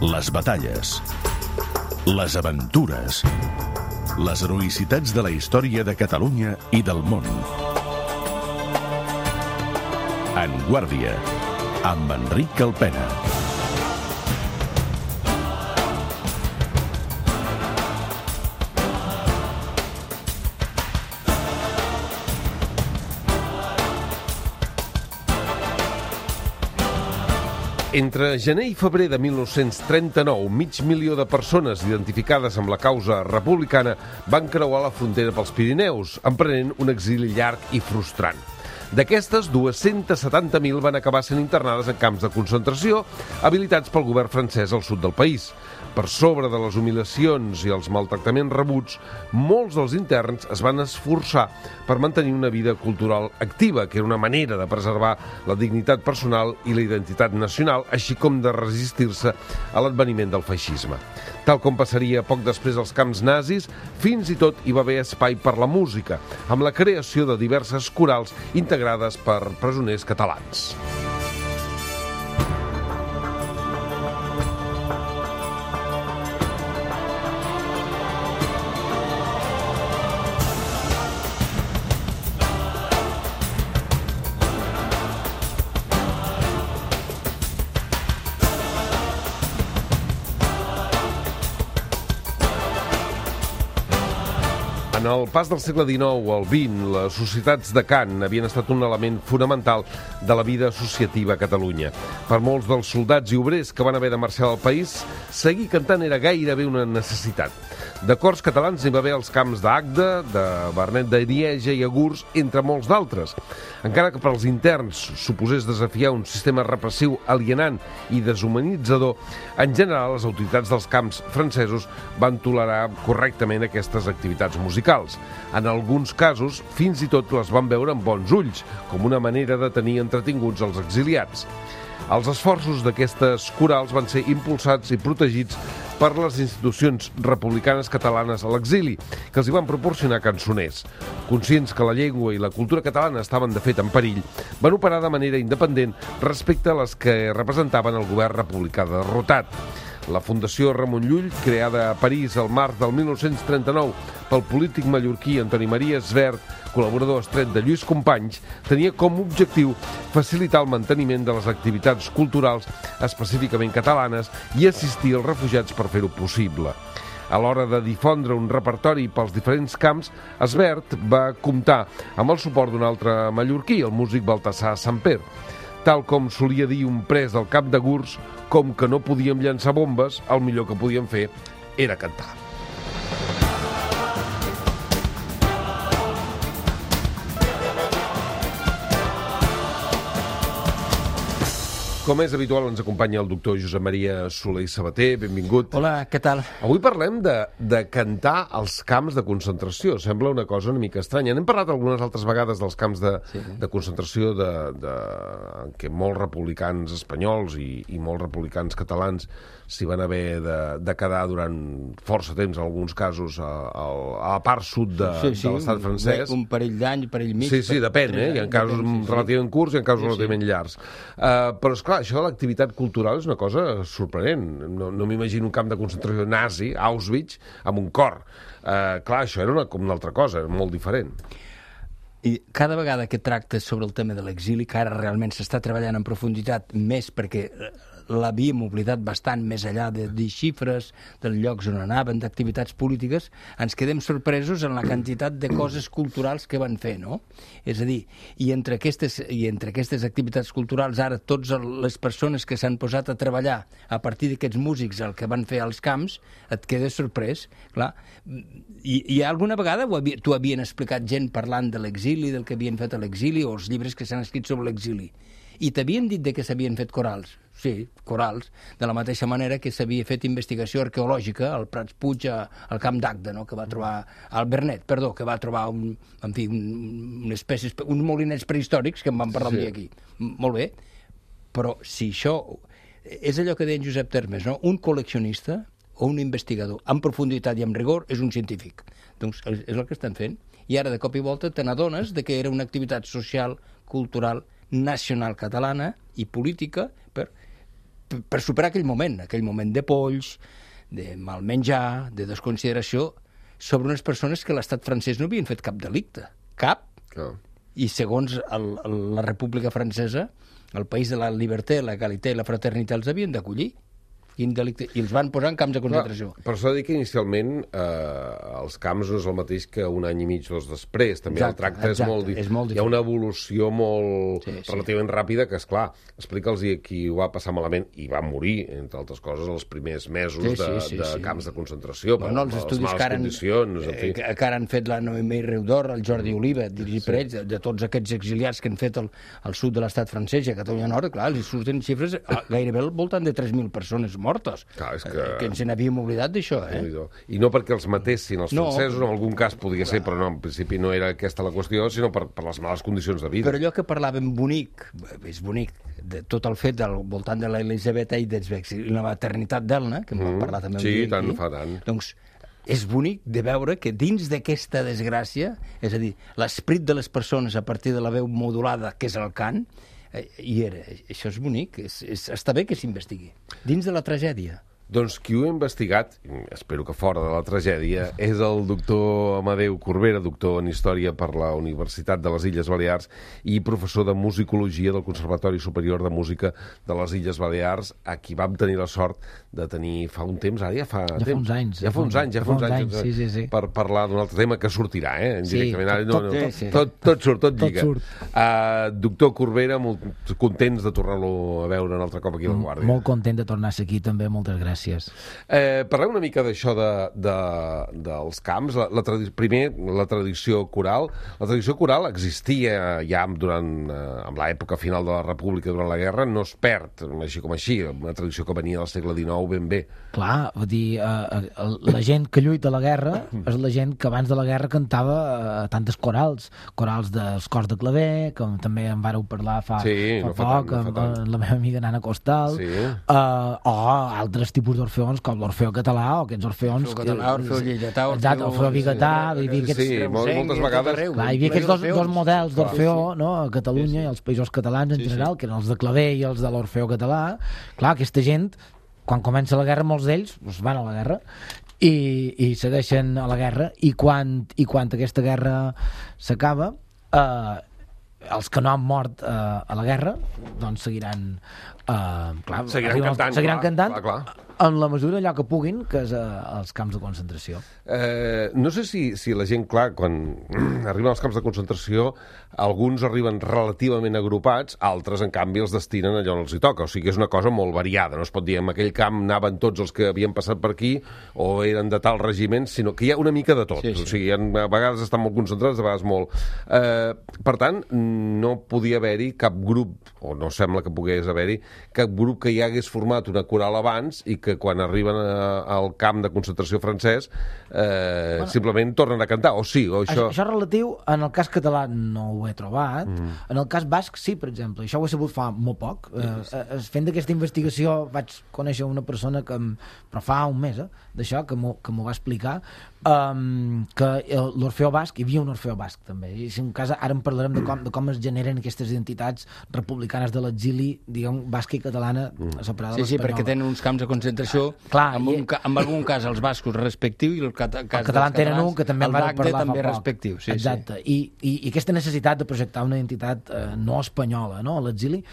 Les batalles, les aventures, les heroïcitats de la història de Catalunya i del món. En Guàrdia, amb Enric Calpena. Entre gener i febrer de 1939, 500.000 de persones identificades amb la causa republicana van creuar la frontera pels Pirineus, emprenent un exili llarg i frustrant. D'aquestes, 270.000 van acabar sent internades en camps de concentració, habilitats pel govern francès al sud del país. Per sobre de les humiliacions i els maltractaments rebuts, molts dels interns es van esforçar per mantenir una vida cultural activa, que era una manera de preservar la dignitat personal i la identitat nacional, així com de resistir-se a l'adveniment del feixisme. Tal com passaria poc després als camps nazis, fins i tot hi va haver espai per la música, amb la creació de diverses corals integrades per presoners catalans. En el pas del segle XIX al XX, les societats de cant havien estat un element fonamental de la vida associativa a Catalunya. Per molts dels soldats i obrers que van haver de marxar del país, seguir cantant era gairebé una necessitat. De cors catalans n'hi va haver als camps d'Agde, de Vernet de Lieja i Agurs, entre molts d'altres. Encara que per als interns suposés desafiar un sistema repressiu alienant i deshumanitzador, en general les autoritats dels camps francesos van tolerar correctament aquestes activitats musicals. En alguns casos, fins i tot les van veure amb bons ulls, com una manera de tenir entretinguts els exiliats. Els esforços d'aquestes corals van ser impulsats i protegits per les institucions republicanes catalanes a l'exili, que els hi van proporcionar cançoners. Conscients que la llengua i la cultura catalana estaven de fet en perill, van operar de manera independent respecte a les que representaven el govern republicà derrotat. La Fundació Ramon Llull, creada a París al març del 1939 pel polític mallorquí Antoni Maria Svert, col·laborador estret de Lluís Companys, tenia com a objectiu facilitar el manteniment de les activitats culturals específicament catalanes i assistir els refugiats per fer-ho possible. A l'hora de difondre un repertori pels diferents camps, Svert va comptar amb el suport d'un altre mallorquí, el músic Baltasar Samper. Tal com solia dir un pres del camp de Gurs, com que no podíem llançar bombes, el millor que podíem fer era cantar. Com és habitual, ens acompanya el doctor Josep Maria Soler i Sabater. Benvingut. Hola, què tal? Avui parlem de cantar als camps de concentració. Sembla una cosa una mica estranya. N'hem parlat algunes altres vegades dels camps de concentració en què molts republicans espanyols i molts republicans catalans s'hi van haver de quedar durant força temps, en alguns casos, a la part sud de l'estat francès. Un parell d'anys, parell mig. Sí, depèn, Hi ha casos relativament curts i en casos relativament llargs. Però, esclar, això de l'activitat cultural és una cosa sorprenent. No m'imagino un camp de concentració nazi, Auschwitz, amb un cor. Clar, això era com una altra cosa, molt diferent. I cada vegada que tractes sobre el tema de l'exili, que ara realment s'està treballant en profunditat més perquè l'havíem oblidat bastant més enllà de dir xifres, dels llocs on anaven, d'activitats polítiques, ens quedem sorpresos en la quantitat de coses culturals que van fer, no? És a dir, i entre aquestes activitats culturals, ara totes les persones que s'han posat a treballar a partir d'aquests músics el que van fer als camps, et quedes sorprès, clar. I alguna vegada t'ho havien explicat gent parlant de l'exili, del que havien fet a l'exili, o els llibres que s'han escrit sobre l'exili. I t'havien dit que s'havien fet corals. Sí, corals, de la mateixa manera que s'havia fet investigació arqueològica al Prats Puig, al camp d'Agde, no? Que va trobar al Vernet, que va trobar uns molinets prehistòrics que en vam parlar un dia aquí. Molt bé, però si això és allò que deia en Josep Termes, no? Un col·leccionista o un investigador en profunditat i amb rigor és un científic. Doncs és el que estan fent. I ara de cop i volta te n'adones que era una activitat social, cultural, nacional catalana i política per superar aquell moment de polls, de mal menjar, de desconsideració, sobre unes persones que l'estat francès no havien fet cap delicte. Cap. I segons la República Francesa, el país de la llibertat, la legalitat i la fraternitat els havien d'acollir. Quin delicte? I els van posar en camps de concentració. Per això dic que inicialment els camps no és el mateix que un any i mig o dos després. També el tracte és molt diferent. Hi ha una evolució molt relativament ràpida que, esclar, explica'ls qui ho va passar malament i va morir, entre altres coses, els primers mesos de camps de concentració, per les males condicions. Que ara han fet la Noemí Reudor, el Jordi Oliva, dirigit per ells, de tots aquests exiliats que han fet al sud de l'estat francès i a Catalunya Nord, clar, els surten xifres gairebé al voltant de 3.000 persones mortes. Clar, que ens n'havíem oblidat d'això, I no perquè els matessin els francesos, en algun cas podria ser, però no, en principi no era aquesta la qüestió, sinó per les males condicions de vida. Però allò que parlàvem bonic, és bonic, de tot el fet del voltant de l'Elisabet Eidesbeck i la maternitat d'Elna, que en vam parlar també un dia aquí, fa tant. Doncs és bonic de veure que dins d'aquesta desgràcia, és a dir, l'esperit de les persones a partir de la veu modulada, que és el cant, hi era. Això és bonic, està bé que s'investigui. Dins de la tragèdia. Doncs qui ho ha investigat, espero que fora de la tragèdia, és el doctor Amadeu Corbera, doctor en Història per la Universitat de les Illes Balears i professor de Musicologia del Conservatori Superior de Música de les Illes Balears, a qui vam tenir la sort de tenir fa un temps, ara ja fa temps. Ja fa uns anys, sí. Per parlar d'un altre tema que sortirà, directament. Tot surt, tot lliga. Doctor Corbera, molt contents de tornar-lo a veure un altre cop aquí a La Guàrdia. Molt content de tornar a ser aquí, també, moltes gràcies. Parlem una mica d'això dels camps. Primer, la tradició coral. La tradició coral existia ja amb l'època final de la República durant la guerra, no es perd, així com així, una tradició que venia del segle XIX ben bé. Clar, vull dir, la gent que lluita a la guerra és la gent que abans de la guerra cantava tantes corals dels cors de claver, com també en vareu parlar fa poc, amb la meva amiga Nana Costal, o altres tipus d'orfeons, com l'Orfeo català, o aquests orfeons... Orfeo lleidatà, Orfeo biguetà... moltes vegades... Hi havia aquests dos models d'Orfeo a Catalunya i als països catalans en general, que eren els de claver i els de l'Orfeo català. Clar, aquesta gent, quan comença la guerra, molts d'ells van a la guerra i segueixen a la guerra, i quan aquesta guerra s'acaba, els que no han mort a la guerra doncs seguiran cantant en la mesura allò que puguin, que és als camps de concentració. No sé si la gent, clar, quan arriben als camps de concentració, alguns arriben relativament agrupats, altres, en canvi, els destinen allò on els hi toca. O sigui, és una cosa molt variada. No es pot dir en aquell camp anaven tots els que havien passat per aquí o eren de tal regiment, sinó que hi ha una mica de tot. O sigui, a vegades estan molt concentrats, a vegades molt. Per tant, no podia haver-hi cap grup, o no sembla que pogués haver-hi, cap grup que hi hagués format una coral abans i que quan arriben al camp de concentració francès simplement tornen a cantar, o sí, o això... Això és relatiu, en el cas català no ho he trobat, en el cas basc sí, per exemple, això ho he sabut fa molt poc. Fent d'aquesta investigació vaig conèixer una persona però fa un mes d'això, que m'ho va explicar, que l'Orfeo basc, hi havia un Orfeo basc també, i si un cas ara en parlarem de com es generen aquestes identitats republicanes de l'exili, diguem, basca i catalana separada de l'espanyola. Sí, perquè tenen uns camps de concentració, en algun cas els bascos respectius i el català tenen un que també en van parlar també respectiu. Exacte, i aquesta necessitat de projectar una identitat no espanyola a l'exili,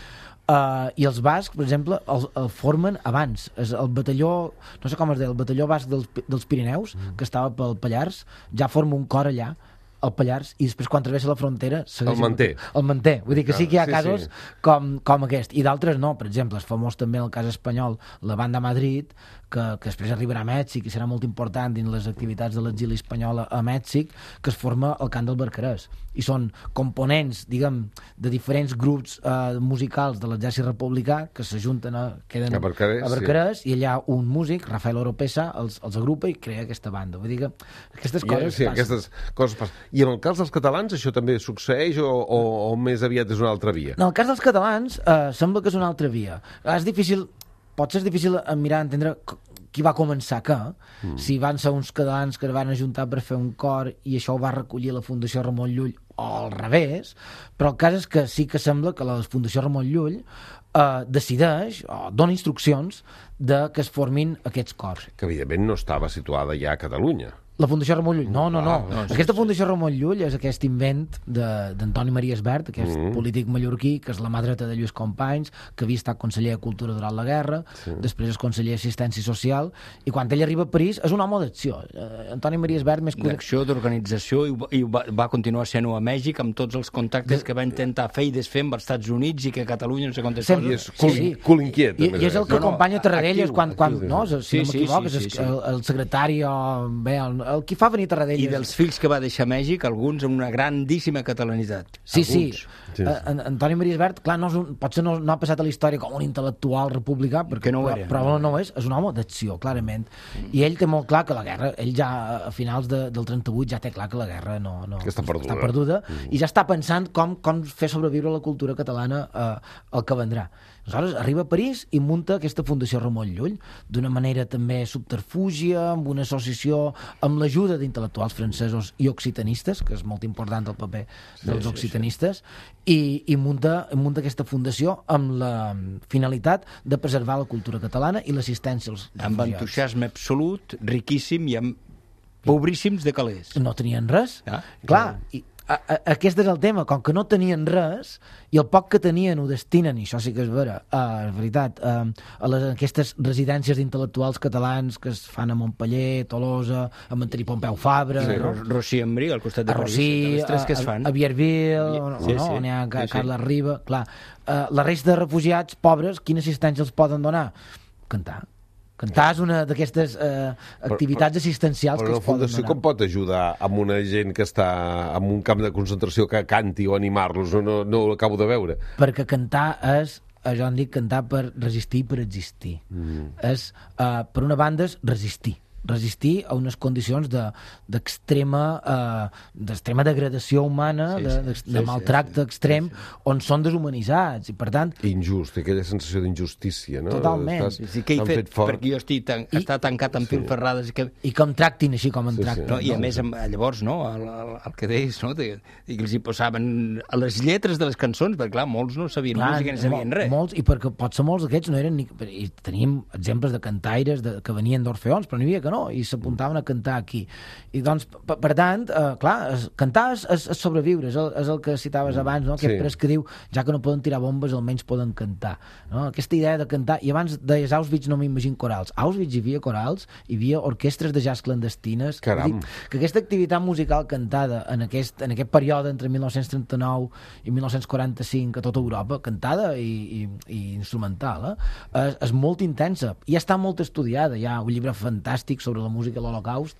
i els bascs, per exemple, el formen abans. El batalló, no sé com es deia, el batalló basc dels Pirineus, que estava pel Pallars, ja forma un cor allà, al Pallars, i després quan travessa la frontera el manté. Vull dir que sí que hi ha casos com aquest, i d'altres no. Per exemple, és famós també en el cas espanyol la Banda Madrid, que després arribarà a Mèxic i serà molt important dins les activitats de l'exili espanyol a Mèxic, que es forma al cant del Barcarès, i són components, diguem, de diferents grups musicals de l'exèrcit republicà que s'ajunten queden a Barcarès, i allà un músic, Rafael Oropesa, els agrupa i crea aquesta banda. Vull dir que aquestes coses passen. Aquestes coses passen. I en el cas dels catalans això també succeeix o més aviat és una altra via? En el cas dels catalans sembla que és una altra via. Pot ser difícil mirar, entendre qui va començar què, si van ser uns catalans que es van ajuntar per fer un cor i això ho va recollir la Fundació Ramon Llull, al revés, però el cas és que sí que sembla que la Fundació Ramon Llull decideix o dona instruccions de que es formin aquests cors. Que evidentment no estava situada ja a Catalunya. La Fundació Ramon Llull, no. Aquesta Fundació Ramon Llull és aquest invent d'Antoni Maria Esbert, aquest polític mallorquí, que és la mà dreta de Lluís Companys, que havia estat conseller de Cultura durant la guerra, després és conseller d'Assistència Social, i quan ell arriba a París és un home d'acció. Antoni Maria Esbert més d'acció, d'organització, i va continuar sent-ho a Mèxic amb tots els contactes que va intentar fer i desfer amb els Estats Units i que Catalunya no sé quantes coses. I és cul inquiet. I és el que acompanya Tarradellas quan no, si no m'equivoc, és el secretari el qui fa venir Tarradellas. I dels fills que va deixar a Mèxic, alguns amb una grandíssima catalanitat. Sí. Antoni Maria Esbert, clar, potser no ha passat a la història com un intel·lectual republicà, però no és un home d'acció, clarament. I ell té molt clar que la guerra, ell ja a finals del 38 ja té clar que la guerra que està perduda, i ja està pensant com fer sobreviure la cultura catalana al que vendrà. Aleshores, arriba a París i munta aquesta Fundació Ramon Llull, d'una manera també subterfúgia, amb una associació, amb l'ajuda d'intel·lectuals francesos i occitanistes, que és molt important el paper dels occitanistes, i munta aquesta fundació amb la finalitat de preservar la cultura catalana i l'assistència als refugiats. Amb entusiasme absolut, riquíssim i amb pobríssims de calés. No tenien res. Clar, aquest és el tema, com que no tenien res i el poc que tenien ho destinen, i això sí que és veritat, a aquestes residències d'intel·lectuals catalans que es fan a Montpeller, Tolosa, a Manterí Pompeu Fabra, Rossi Embrí, al costat de París, les tres que es fan, a Vierville, on hi ha Carles Riba. Clar, la resta de refugiats pobres, quina assistència els poden donar? Cantar és una d'aquestes activitats assistencials que es poden donar. Però la Fundació com pot ajudar amb una gent que està en un camp de concentració que canti o animar-los? No ho acabo de veure. Perquè cantar és, jo en dic cantar per resistir i per existir. És, per una banda, és resistir a unes condicions d'extrema degradació humana, de maltracte extrem, on són deshumanitzats, i per tant... Injust, aquella sensació d'injustícia, no? Totalment. Què he fet perquè jo està tancat amb filferrades... I que em tractin així com em tracten. I a més, llavors, el que deies, i que els hi posaven a les lletres de les cançons, perquè clar, molts no sabien música ni sabien res. Molts, i perquè potser molts d'aquests no eren ni... I teníem exemples de cantaires que venien d'Orfeons, però n'hi havia que no, i s'apuntaven a cantar aquí. I doncs, per tant, clar, cantar és sobreviure, és el que citaves abans, no? Aquest pres que diu, ja que no poden tirar bombes, almenys poden cantar. No? Aquesta idea de cantar, i abans deies Auschwitz, no m'imagino corals. A Auschwitz hi havia corals, hi havia orquestres de jazz clandestines. Caram! Que aquesta activitat musical cantada en aquest període entre 1939 i 1945 a tota Europa, cantada i instrumental, és molt intensa. I està molt estudiada. Hi ha un llibre fantàstic sobre la música de l'Holocaust,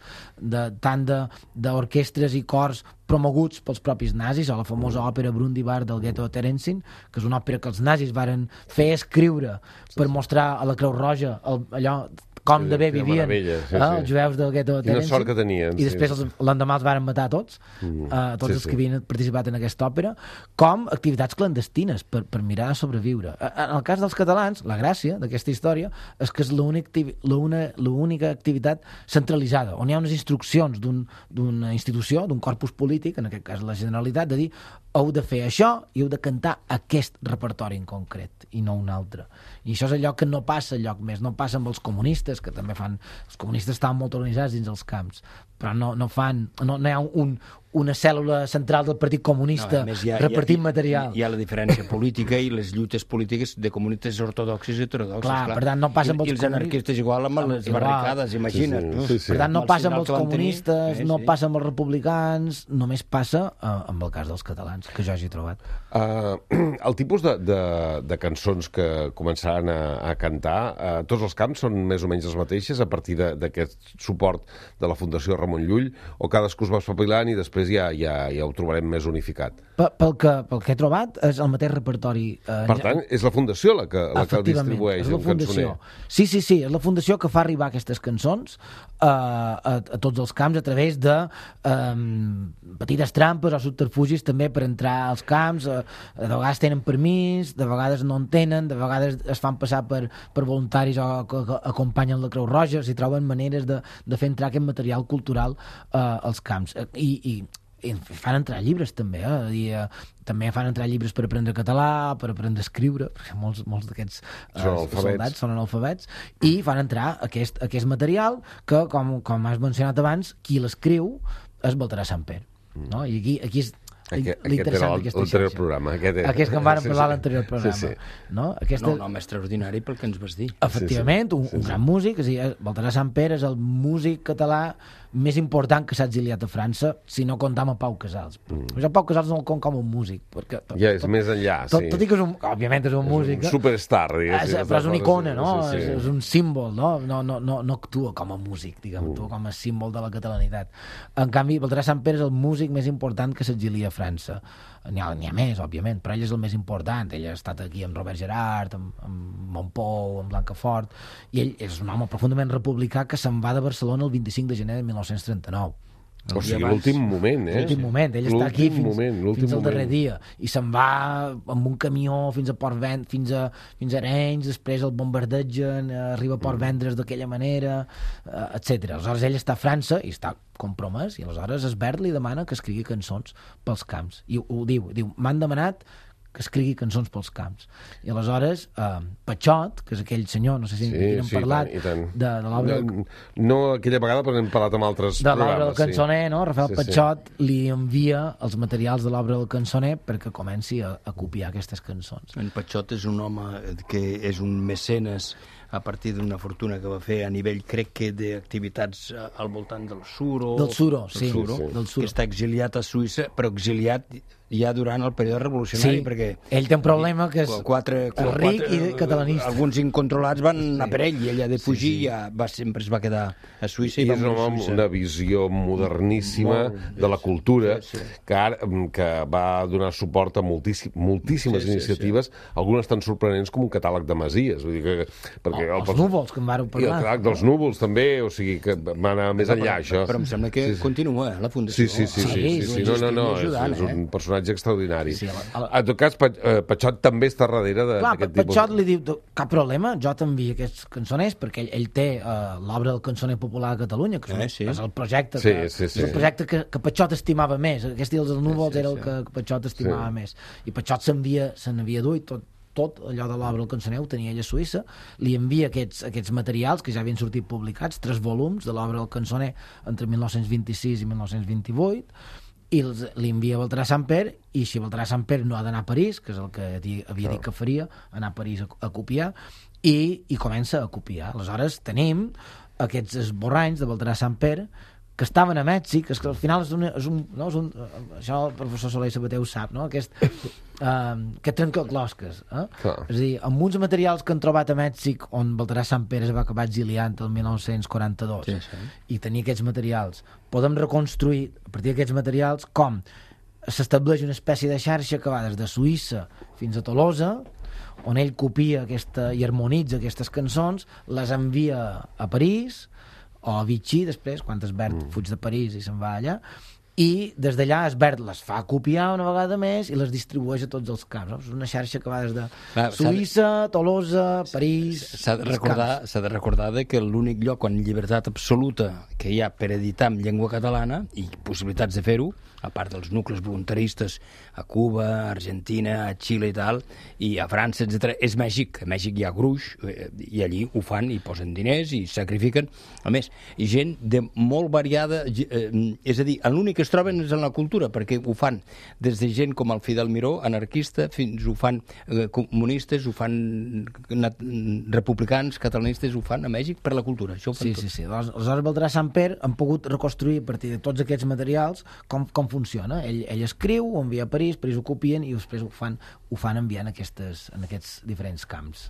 tant d'orquestres i cors promoguts pels propis nazis, o la famosa òpera Brundibar del gueto de Terenzin, que és una òpera que els nazis varen fer escriure per mostrar a la Creu Roja allò com de bé vivien els jueus del gueto de Terenzin. Quina sort que tenien. I després l'endemà els varen matar tots els que havien participat en aquesta òpera, com activitats clandestines per mirar de sobreviure. En el cas dels catalans, la gràcia d'aquesta història és que és l'única activitat centralitzada, on hi ha unes instruccions d'una institució, d'un corpus polític, en aquest cas la Generalitat, de dir heu de fer això i heu de cantar aquest repertori en concret i no un altre. I això és allò que no passa enlloc més, no passa amb els comunistes, que també fan... Els comunistes estaven molt organitzats dins els camps, però no hi ha una cèl·lula central del Partit Comunista repartint material. Hi ha la diferència política i les lluites polítiques de comunistes ortodoxes i heterodoxes. Clar. Per tant, no passa amb els comunistes. I els anarquistes igual amb les barricades, imagina't. Per tant, no passa amb els comunistes, no passa amb els republicans, només passa amb el cas dels catalans, que jo hagi trobat. El tipus de cançons que començaran a cantar, tots els camps són més o menys les mateixes a partir d'aquest suport de la Fundació Ramon Llull, o cadascú es va espavilant i després ja ho trobarem més unificat? Pel que he trobat és el mateix repertori. Per tant, és la Fundació la que distribueix un cançoner. Sí, és la Fundació que fa arribar aquestes cançons a tots els camps a través de petites trampes o subterfugis també per entrar als camps. De vegades tenen permís, de vegades no en tenen, de vegades es fan passar per voluntaris o que acompanyen la Creu Roja, si troben maneres de fer entrar aquest material cultural als camps. I I fan entrar llibres també, també fan entrar llibres per aprendre català, per aprendre a escriure, perquè molts d'aquests soldats són analfabets, i fan entrar aquest material que, com has mencionat abans, qui l'escriu és Baltasar Samper, no? I aquí és l'interessant d'aquesta xarxa. L'anterior programa. Aquest que en vàrem parlar a l'anterior programa. No, un home extraordinari pel que ens vas dir. Efectivament, un gran músic. Baltasar Samper és el músic català més important que s'ha exiliat a França, si no comptam a Pau Casals. Pau Casals no el compta com un músic. Ja és més enllà, sí. Tot i que, òbviament, és un músic. Un superstar, diguéssim. Però és una icona, no? És un símbol, no? No actua com a músic, diguem, actua com a símbol de la catalanitat. En canvi, Baltasar Samper és el músic més important que s'exilia a França. N'hi ha més, òbviament, però ell és el més important. Ell ha estat aquí amb Robert Gerard, amb Montpou, amb Blancafort, i ell és un home profundament republicà que se'n va de Barcelona el 25 de gener de 1939. O sigui, l'últim moment, L'últim moment, ell està aquí fins al darrer dia, i se'n va amb un camió fins a fins a Arenys, després el bombardegen, arriba a Port Vendres d'aquella manera, etc. Aleshores ell està a França i està compromès, i aleshores Esbert li demana que escrigui cançons pels camps, i ho diu, m'han demanat que escrigui cançons pels camps. I aleshores, Patxot, que és aquell senyor, no sé si hem parlat, de l'obra... No aquella vegada, però n'hem parlat amb altres programes. De l'obra del cançoner, no? Rafael Patxot li envia els materials de l'obra del cançoner perquè comenci a copiar aquestes cançons. En Patxot és un home que és un mecenes a partir d'una fortuna que va fer a nivell, crec que, d'activitats al voltant del Suro. Del Suro, sí. Que està exiliat a Suïssa, però exiliat ja durant el període revolucionari, perquè... Ell té un problema que és ric i catalanista. Alguns incontrolats van anar per ell, i ell ha de fugir, i sempre es va quedar a Suïssa. I és una visió moderníssima de la cultura, que va donar suport a moltíssimes iniciatives, algunes tan sorprenents com un catàleg de masies. Vull dir que els núvols, que en vàrem parlar. I el catàleg dels núvols, també, o sigui, que va anar més enllà, això. Però em sembla que continua, la Fundació. Sí. No, és un personatge extraordinari. En tot cas, Patxot també està darrere d'aquest tipus... Patxot li diu, cap problema, jo t'envio aquests cançoners, perquè ell té l'obra del cançoner popular de Catalunya, que és el projecte que Patxot estimava més. Aquest dels núvols era el que Patxot estimava més. I Patxot se n'havia duit tot allò de l'obra del cançoner ho tenia ell a Suïssa, li envia aquests materials que ja havien sortit publicats, 3 volums de l'obra del cançoner entre 1926 i 1928, i li envia a Baltasar Samper, i si Baltasar Samper no ha d'anar a París, que és el que havia dit que faria, anar a París a copiar, i comença a copiar. Aleshores tenim aquests esborranys de Baltasar Samper que estaven a Mèxic, que al final és un això el professor Soler Sabater ho sap, no? Aquest trencaclosques. És a dir, amb uns materials que han trobat a Mèxic, on Baltasar Samper es va acabar exiliant el 1942, i tenir aquests materials, podem reconstruir a partir d'aquests materials com s'estableix una espècie de xarxa que va des de Suïssa fins a Tolosa, on ell copia i harmonitza aquestes cançons, les envia a París, o a Vichy després, quan Esbert fuig de París i se'n va allà, i des d'allà Esbert les fa copiar una vegada més i les distribueix a tots els camps. És una xarxa que va des de Suïssa, Tolosa, París... S'ha de recordar que l'únic lloc on llibertat absoluta que hi ha per editar en llengua catalana, i possibilitats de fer-ho, a part dels nuclis voluntaristes a Cuba, a Argentina, a Xile i tal, i a França, etc., és Mèxic. A Mèxic hi ha gruix, i allí ho fan, i posen diners, i sacrifiquen. A més, gent de molt variada, és a dir, l'únic que es troben és en la cultura, perquè ho fan des de gent com el Fidel Miró, anarquista, fins ho fan comunistes, ho fan republicans, catalanistes, ho fan a Mèxic per la cultura. Això ho fan tot. Sí. Aleshores, Baltasar Samper han pogut reconstruir a partir de tots aquests materials com funciona. Ell escriu, ho envia a París ho copien i després ho fan enviant en aquests diferents camps.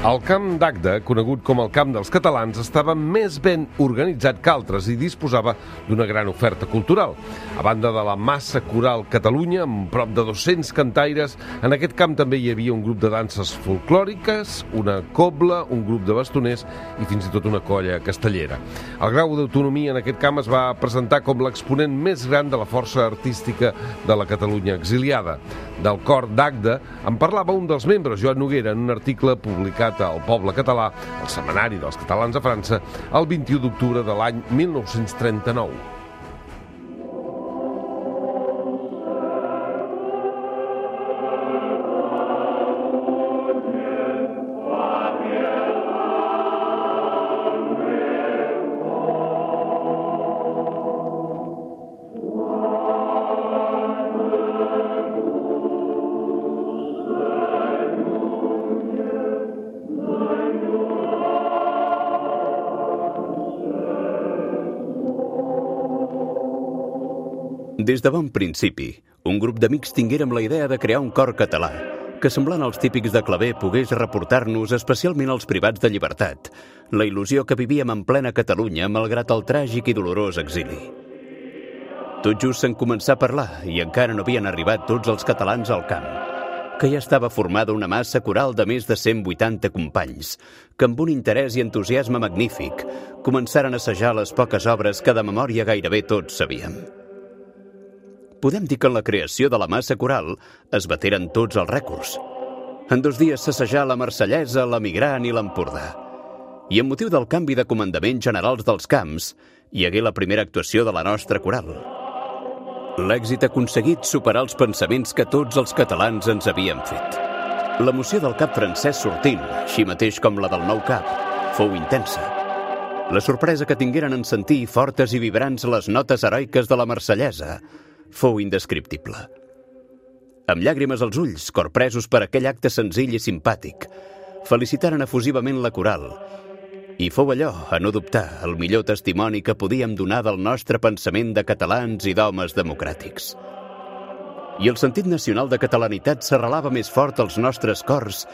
El Camp d'Agde, conegut com el Camp dels Catalans, estava més ben organitzat que altres i disposava d'una gran oferta cultural. A banda de la Massa Coral Catalunya, amb prop de 200 cantaires, en aquest camp també hi havia un grup de danses folclòriques, una cobla, un grup de bastoners i fins i tot una colla castellera. El grau d'autonomia en aquest camp es va presentar com l'exponent més gran de la força artística de la Catalunya exiliada. Del cor d'Agde en parlava un dels membres, Joan Noguera, en un article publicat al Poble Català, el Setmanari dels Catalans a França, el 21 d'octubre de l'any 1939. Des de bon principi, un grup d'amics tinguérem la idea de crear un cor català, que semblant als típics de claver pogués reportar-nos especialment als privats de llibertat, la il·lusió que vivíem en plena Catalunya malgrat el tràgic i dolorós exili. Tot just se'n començà a parlar i encara no havien arribat tots els catalans al camp, que ja estava formada una massa coral de més de 180 companys, que amb un interès i entusiasme magnífic començaren a assajar les poques obres que de memòria gairebé tots sabíem. Podem dir que en la creació de la massa coral es bateren tots els rècords. En 2 dies s'assajà la Marsellesa, la Migrant i l'Empordà. I amb motiu del canvi de comandaments generals dels camps, hi hagué la primera actuació de la nostra coral. L'èxit aconseguit superà els pensaments que tots els catalans ens havíem fet. L'emoció del cap francès sortint, així mateix com la del nou cap, fou intensa. La sorpresa que tingueren en sentir fortes i vibrants les notes heroiques de la Marsellesa fou indescriptible. Amb llàgrimes als ulls, corpresos per aquell acte senzill i simpàtic, felicitaren efusivament la coral, i fou allò, a no dubtar, el millor testimoni que podíem donar del nostre pensament de catalans i d'homes democràtics. I el sentit nacional de catalanitat s'arrelava més fort als nostres cors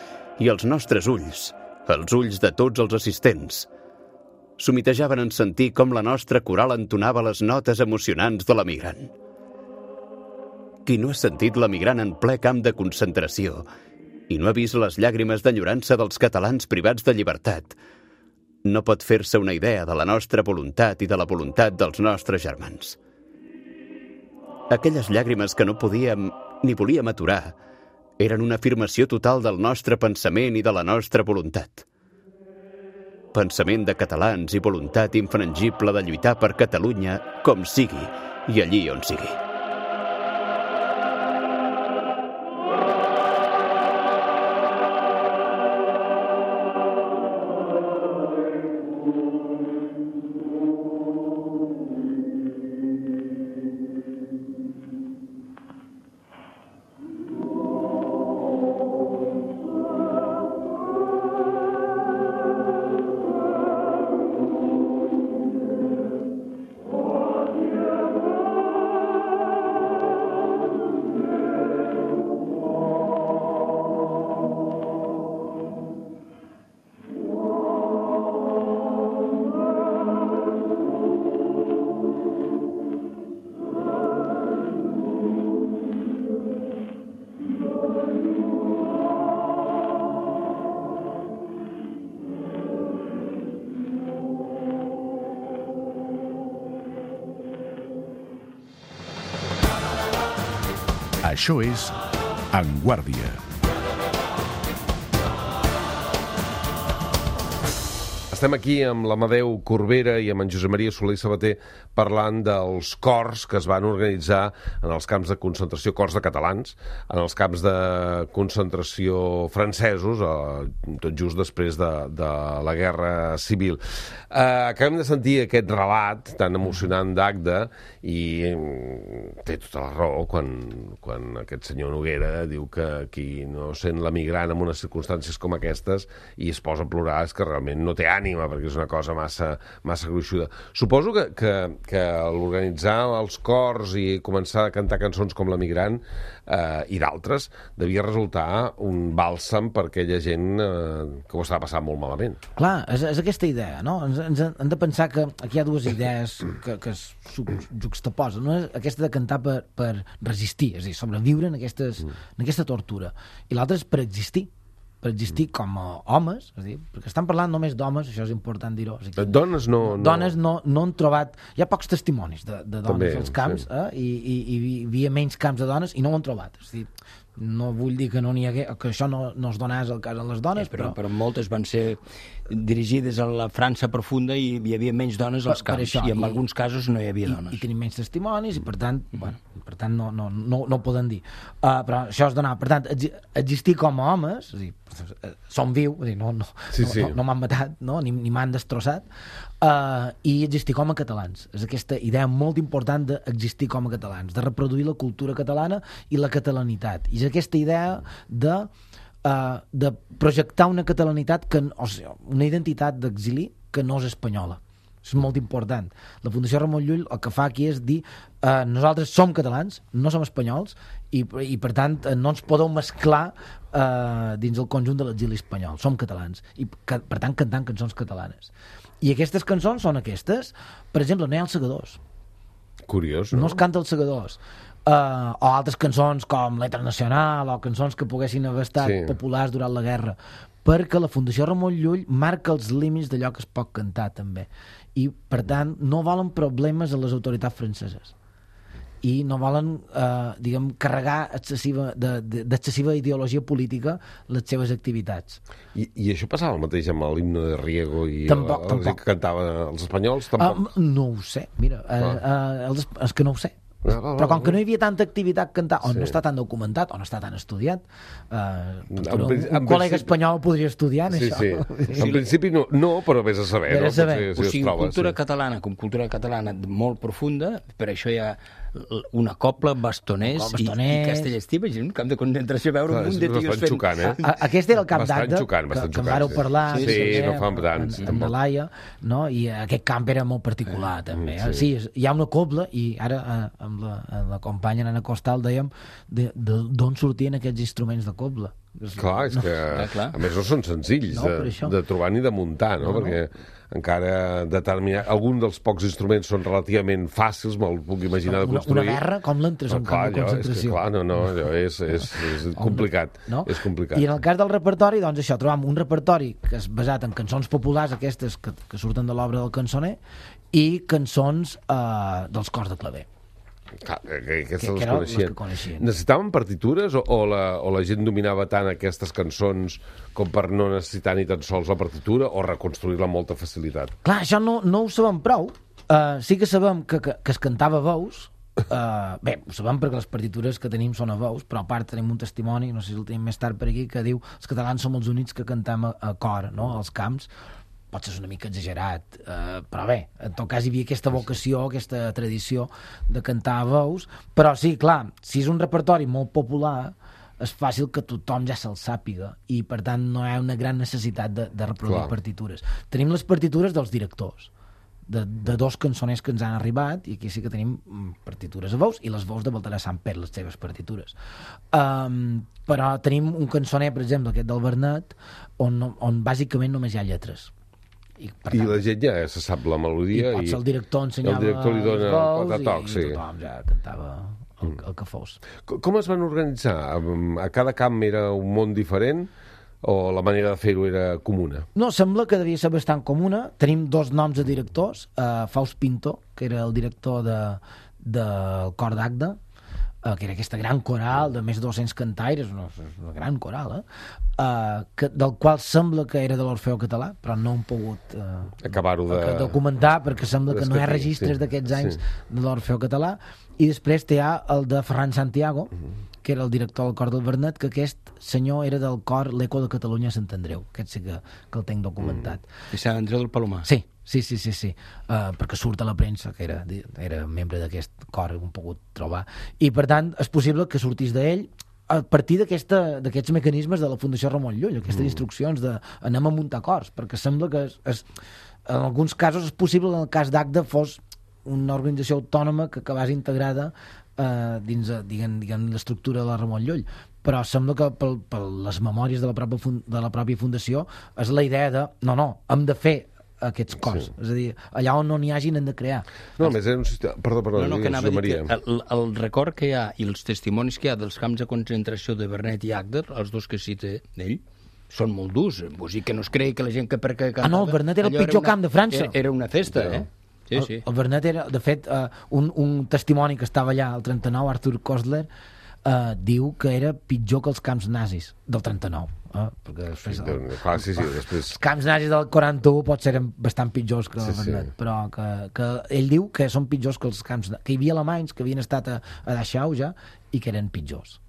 i als nostres ulls, els ulls de tots els assistents. S'humitejaven en sentir com la nostra coral entonava les notes emocionants de la Migrant. Qui no ha sentit la Migrant en ple camp de concentració i no ha vist les llàgrimes d'enyorança dels catalans privats de llibertat, no pot fer-se una idea de la nostra voluntat i de la voluntat dels nostres germans. Aquelles llàgrimes que no podíem ni volíem aturar eren una afirmació total del nostre pensament i de la nostra voluntat. Pensament de catalans i voluntat infrangible de lluitar per Catalunya com sigui i allí on sigui. Això és En Guàrdia. Estem aquí amb l'Amadeu Corbera i amb en Josep Maria Soler i Sabater parlant dels cors que es van organitzar en els camps de concentració, cors de catalans, en els camps de concentració francesos, tot just després de la Guerra Civil. Acabem de sentir aquest relat tan emocionant d'Agde i té tota la raó quan aquest senyor Noguera diu que qui no sent la Migrant en unes circumstàncies com aquestes i es posa a plorar és que realment no té ànim ànima, perquè és una cosa massa gruixuda. Suposo que l'organitzar els cors i començar a cantar cançons com l'Emigrant i d'altres devia resultar un bàlsam per aquella gent que ho estava passant molt malament. Clar, és aquesta idea, no? Ens hem de pensar que aquí hi ha dues idees que es juxtaposen. Una és aquesta de cantar per resistir, és a dir, sobreviure en aquesta tortura. I l'altra és per existir com a homes, és a dir, perquè estan parlant només d'homes, això és important dir-ho. O sigui, dones no han trobat... Hi ha pocs testimonis de dones també, als camps, i hi havia menys camps de dones i no ho han trobat. És a dir, no vull dir que no n'hi hagués, que això no es donés el cas a les dones, però moltes van ser dirigides a la França profunda i hi havia menys dones als camps, això, i en alguns casos no hi havia dones. I tenim menys testimonis i per tant no ho poden dir. Però això es donava. Per tant, existir com a homes, és a dir, som viu, no m'han matat, no? ni m'han destrossat, i existir com a catalans. És aquesta idea molt important d'existir com a catalans, de reproduir la cultura catalana i la catalanitat. I és aquesta idea de projectar una catalanitat, una identitat d'exili que no és espanyola. És molt important. La Fundació Ramon Llull el que fa aquí és dir nosaltres som catalans, no som espanyols i per tant no ens podeu mesclar dins el conjunt de l'exili espanyol. Som catalans i per tant cantant cançons catalanes. I aquestes cançons són aquestes. Per exemple, no hi ha els segadors. Curiós, no? No es canta els segadors. O altres cançons com l'Etra Nacional o cançons que poguessin haver estat populars durant la guerra, perquè la Fundació Ramon Llull marca els límits d'allò que es pot cantar també, i per tant no volen problemes a les autoritats franceses i no volen carregar d'excessiva ideologia política les seves activitats. I això passava el mateix amb l'himne de Riego i tampoc. Que cantaven els espanyols? Tampoc. No ho sé, mira, és que no ho sé. Però com que no hi havia tanta activitat cantar, o no està tan documentat, o no està tan estudiat, un col·lega espanyol podria estudiar en això. En principi no, però vés a saber. O sigui, cultura catalana com cultura catalana molt profunda, per això hi ha una copla, bastoners i castellestí, un camp de concentració, veure un munt de tios fent... Xocant, Aquest era el camp d'acte que en vareu parlar no fa tant amb la Laia, i aquest camp era molt particular també. Sí, hi ha una copla i ara amb la companya Anna Costal dèiem d'on sortien aquests instruments de copla. Clar, és que a més no són senzills de trobar ni de muntar, perquè encara determinar... Algun dels pocs instruments són relativament fàcils, me'l puc imaginar de construir. Una guerra, com l'entres en camp de concentració. Allò és complicat. És complicat. I en el cas del repertori, doncs això, trobam un repertori que és basat en cançons populars, aquestes que surten de l'obra del cançoner, i cançons dels cors de claver. Clar, aquestes les coneixien. Necessitaven partitures o la gent dominava tant aquestes cançons com per no necessitar ni tan sols la partitura o reconstruir-la amb molta facilitat? Clar, això no ho sabem prou. Sí que sabem que es cantava a veus. Bé, ho sabem perquè les partitures que tenim són a veus, però a part tenim un testimoni, no sé si el tenim més tard per aquí, que diu els catalans som els únics que cantem a cor, no?, als camps. Pot ser una mica exagerat, però bé, en tot cas hi havia aquesta vocació, aquesta tradició de cantar a veus, però sí, clar, si és un repertori molt popular, és fàcil que tothom ja se'l sàpiga i per tant no hi ha una gran necessitat de reproduir partitures. Tenim les partitures dels directors, de dos cançoners que ens han arribat, i aquí sí que tenim partitures a veus i les veus de Baltasar Samper, les seves partitures. Però tenim un cançoner, per exemple, aquest del Bernet, on bàsicament només hi ha lletres. I la gent ja se sap la melodia i el director ensenyava li dona els gols i tothom ja cantava el que fos. Com es van organitzar? A cada camp era un món diferent o la manera de fer-ho era comuna? No, sembla que devia ser bastant comuna. Tenim dos noms de directors, Faust Pinto, que era el director del cor d'Agda, que era aquesta gran coral de més de 200 cantaires, una gran coral, del qual sembla que era de l'Orfeó Català, però no hem pogut acabar-ho de documentar perquè sembla que no hi ha registres d'aquests anys de l'Orfeó Català. I després hi ha el de Ferran Santiago, que era el director del cor del Bernet, que aquest senyor era del cor l'Eco de Catalunya a Sant Andreu. Aquest sí que el tinc documentat. I Sant Andreu del Palomar? Sí. Perquè surt a la premsa que era membre d'aquest cor, ho hem pogut trobar. I per tant és possible que sortís d'ell, a partir d'aquests mecanismes de la Fundació Ramon Llull, aquestes instruccions d'anem a muntar cors, perquè sembla que en alguns casos és possible que en el cas d'Agda fos una organització autònoma que acabés integrada dins l'estructura de la Ramon Llull, però sembla que per les memòries de la pròpia fundació és la idea de no, hem de fer aquests cors, és a dir, allà on no n'hi hagin hem de crear. No, més era un sistema... Perdó, que anava a dir Maria. que el record que hi ha i els testimonis que hi ha dels camps de concentració de Vernet i Agder, els dos que cita ell, són molt durs. Vull dir que no es cregui que la gent que cantava... no, el Vernet era el pitjor camp de França. Era una festa, Sí. El Vernet era, de fet, un testimoni que estava allà al 39, Arthur Kostler, diu que era pitjor que els camps nazis del 39. Perquè després, després... Els camps nazis del 41 potser eren bastant pitjors que el Vernet, però que ell diu que són pitjors que els camps... que hi havia alemanys que havien estat a Dachau ja i que eren pitjors.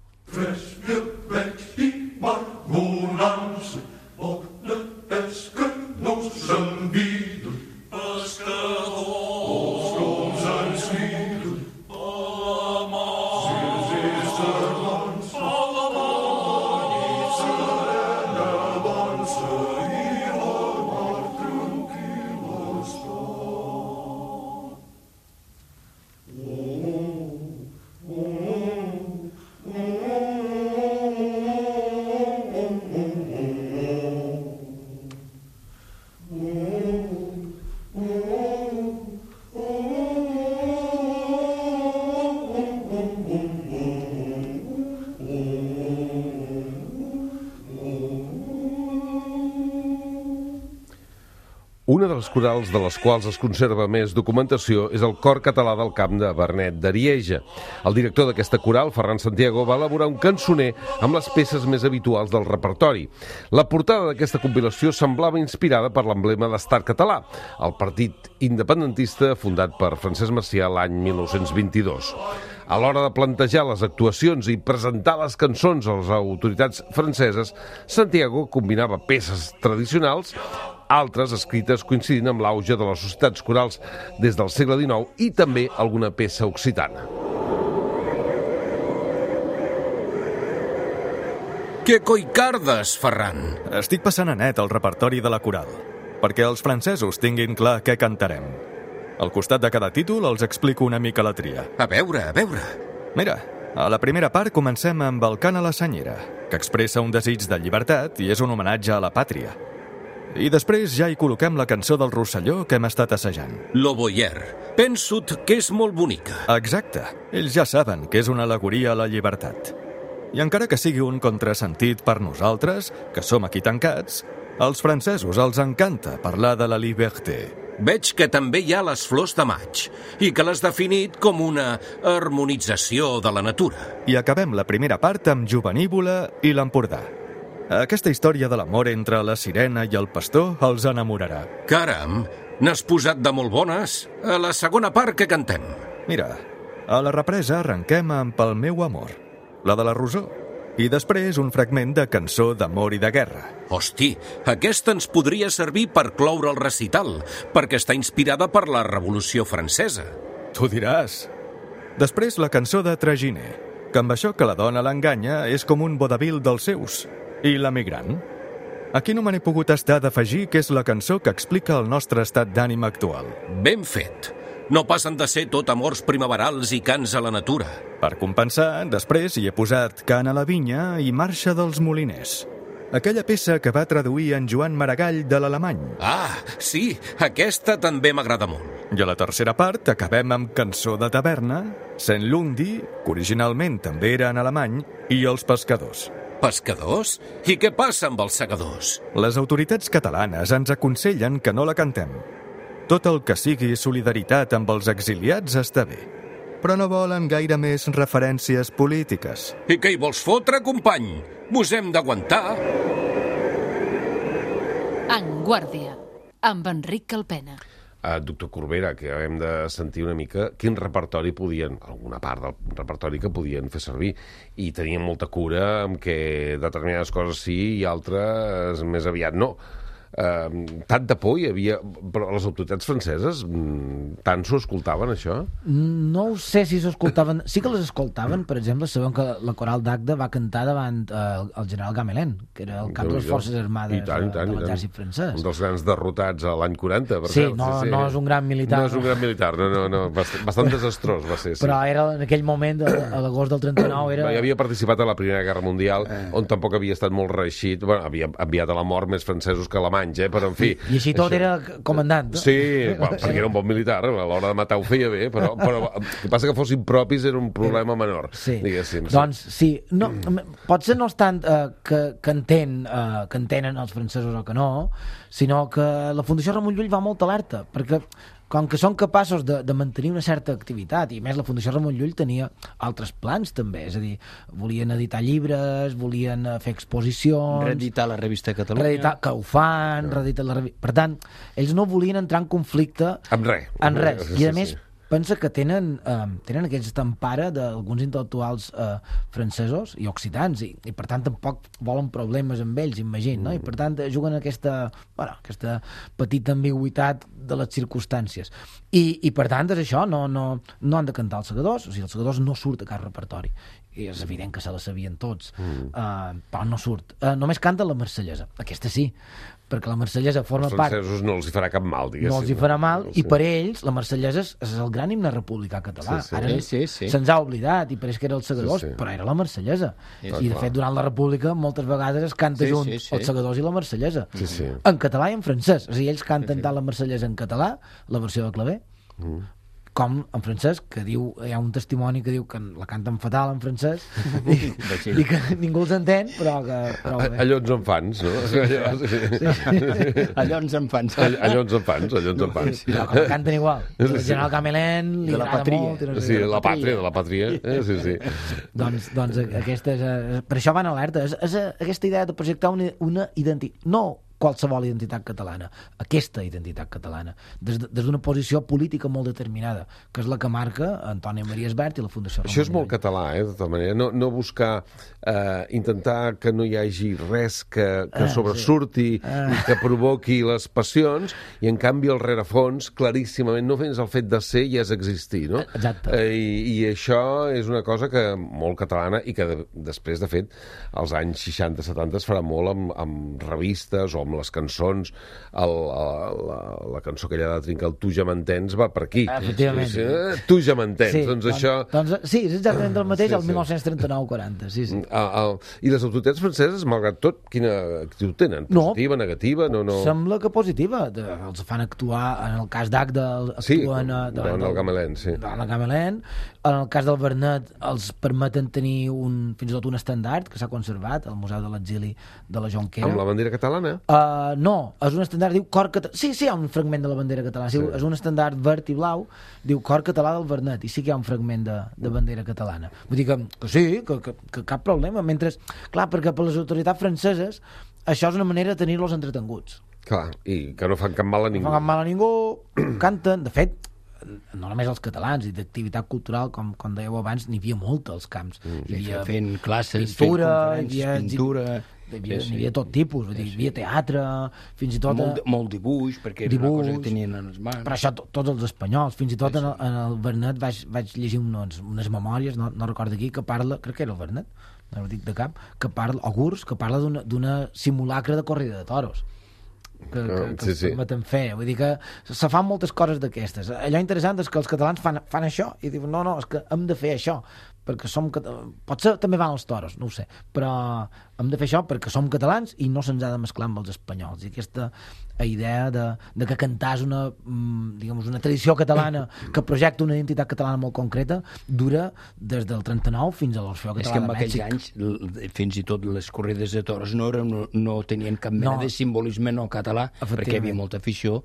Una de les corals de les quals es conserva més documentació és el Cor Català del Camp de Vernet d'Arieja. El director d'aquesta coral, Ferran Santiago, va elaborar un cançoner amb les peces més habituals del repertori. La portada d'aquesta compilació semblava inspirada per l'emblema d'Estat Català, el partit independentista fundat per Francesc Macià l'any 1922. A l'hora de plantejar les actuacions i presentar les cançons a les autoritats franceses, Santiago combinava peces tradicionals, altres escrites coincidint amb l'auge de les societats corals des del segle XIX i també alguna peça occitana. Què coi cardes, Ferran? Estic passant a net el repertori de la coral, perquè els francesos tinguin clar què cantarem. Al costat de cada títol els explico una mica la tria. A veure. Mira, a la primera part comencem amb el cant a la senyera, que expressa un desig de llibertat i és un homenatge a la pàtria. I després ja hi col·loquem la cançó del Rosselló que hem estat assajant. Lo Boyer. Penso que és molt bonica. Exacte. Ells ja saben que és una al·legoria a la llibertat. I encara que sigui un contrasentit per nosaltres, que som aquí tancats, als francesos els encanta parlar de la liberté. Veig que també hi ha les flors de maig i que l'has definit com una harmonització de la natura. I acabem la primera part amb Jovenívola i l'Empordà. Aquesta història de l'amor entre la sirena i el pastor els enamorarà. Caram, n'has posat de molt bones. A la segona part que cantem. Mira, a la represa arrenquem amb El meu amor, la de la Rosó, i després un fragment de cançó d'amor i de guerra. Hosti, aquesta ens podria servir per cloure el recital, perquè està inspirada per la Revolució Francesa. Tu diràs. Després la cançó de Traginer, que amb això que la dona l'enganya és com un vodevil dels seus. I l'emigrant? Aquí no me n'he pogut estar d'afegir que és la cançó que explica el nostre estat d'ànim actual. Ben fet. No passen de ser tot amors primaverals i cants a la natura. Per compensar, després hi he posat Cant a la vinya i Marxa dels moliners. Aquella peça que va traduir en Joan Maragall de l'alemany. Ah, sí, aquesta també m'agrada molt. I a la tercera part acabem amb Cançó de taverna, Saint Lundi, que originalment també era en alemany, i Els pescadors. Pescadors? I què passa amb els segadors? Les autoritats catalanes ens aconsellen que no la cantem. Tot el que sigui solidaritat amb els exiliats està bé, però no volen gaire més referències polítiques. I què hi vols fotre, company? Mos hem d'aguantar. En Guàrdia, amb Enric Calpena. Doctor Corbera, que hem de sentir una mica quin repertori podien, alguna part del repertori que podien fer servir, i tenien molta cura amb que determinades coses sí i altres més aviat no. tanta por hi havia... Però les autoritats franceses tant s'ho escoltaven, això? No ho sé si s'ho escoltaven. Sí que les escoltaven, per exemple, sabem que la coral d'Agde va cantar davant el general Gamelin, que era el cap de les forces armades de l'exèrcit francès. Un dels grans derrotats a l'any 40, per sí, cert. No és un gran militar. No és un gran militar, no. Bastant desastrós va ser, sí. Però era en aquell moment, a l'agost del 39, era... Ja havia participat a la Primera Guerra Mundial, on tampoc havia estat molt reeixit. Bueno, havia enviat a la mort més francesos que alemanys, però en fi... I així tot era comandant. Sí, perquè era un bon militar, a l'hora de matar ho feia bé, però el que passa que fossin propis era un problema menor, diguéssim. Doncs sí, potser no és tant que entenen els francesos o que no, sinó que la Fundació Ramon Llull va molt alerta, perquè com que són capaços de mantenir una certa activitat, i més la Fundació Ramon Llull tenia altres plans també, és a dir, volien editar llibres, volien fer exposicions... Reeditar la revista Catalunya... que ho fan, reeditar la revista... Per tant, ells no volien entrar en conflicte... Amb res. I a més, pensa que tenen aquesta empara d'alguns intel·lectuals francesos i occitans, i per tant tampoc volen problemes amb ells, imagina, no? I per tant juguen aquesta petita ambigüitat de les circumstàncies. I per tant és això, no han de cantar els segadors, o sigui, els segadors no surt a cap repertori. I és evident que se la sabien tots, però no surt. Només canta la marsellesa, aquesta sí, perquè la marsellesa forma part... Els francesos no els hi farà cap mal, diguéssim. No els hi farà mal, i per ells la marsellesa és el gran himne republicà català. Ara se'ns ha oblidat, i pareix que era els segadors, però era la marsellesa. I de fet, durant la república, moltes vegades es canta junt els segadors i la marsellesa. En català i en francès. O sigui, ells canten tant la marsellesa en català, la versió de claver, com en francès, que diu, hi ha un testimoni que diu que la canten fatal en francès i que ningú els entén, però que... Allò ens en fans, no? Allò ens en fans. Allò ens en fans. Però que la canten igual. El general Gamelin li agrada molt. Sí, la pàtria. Sí. Doncs aquesta és... Per això van alerta. És aquesta idea de projectar una identitat... No qualsevol identitat catalana, aquesta identitat catalana, des d'una posició política molt determinada, que és la que marca Antònia Maria Esbert i la Fundació Ramon Llull. Això és molt català, de tota manera. No buscar, intentar que no hi hagi res que sobresurti i que provoqui les passions, i en canvi el rerefons, claríssimament, no fins el fet de ser ja és existir, no? Exacte. I això és una cosa que molt catalana, i que després, de fet, als anys 60-70 es farà molt amb revistes o amb les cançons, la cançó aquella de Trinca, el Tu ja m'entens, va per aquí. Efectivament. Tu ja m'entens, doncs això... Sí, és exactament el mateix, el 1939-40, sí. I les autoritats franceses, malgrat tot, quina actitud tenen? Positiva, negativa? No. Sembla que positiva. Els fan actuar, en el cas d'Agde, actuen... Davant el Gamelin, sí. Davant el Gamelin. En el cas del Vernet, els permeten tenir fins i tot un estendard que s'ha conservat al Museu de l'Exili de la Jonquera. Amb la bandera catalana? No, és un estendard, diu Cor Català. Sí, hi ha un fragment de la bandera catalana. Sí. És un estendard verd i blau, diu Cor Català del Vernet, i sí que hi ha un fragment de bandera catalana. Vull dir que sí, que cap problema. Mentre, clar, perquè per les autoritats franceses això és una manera de tenir-los entretenguts. Clar, i que no fan cap mal a ningú. No fan cap mal a ningú, canten. De fet, no només els catalans, i d'activitat cultural, com dèieu abans, n'hi havia molta als camps. Hi havia fent classes, pintura, fent conferències, pintura... Hi havia tot tipus, hi havia teatre, fins i tot... Molt dibuix, perquè era una cosa que tenien en les mans. Però això tots els espanyols, fins i tot en el Vernet vaig llegir unes memòries, no recordo aquí, que parla, crec que era el Vernet, no ho dic de cap, que parla, o Gurs, que parla d'una simulacre de corrida de toros que es permeten fer. Vull dir que se fan moltes coses d'aquestes. Allò interessant és que els catalans fan això i diuen, no, és que hem de fer això perquè potser també van als toros, no ho sé, però hem de fer això perquè som catalans i no se'ns ha de mesclar amb els espanyols. I aquesta idea de que cantar és una tradició catalana que projecta una identitat catalana molt concreta dura des del 39 fins a l'Orfeó Català de Mèxic. És que en aquells anys fins i tot les corrides de toros no tenien cap mena de simbolisme no català, perquè hi havia molta afició,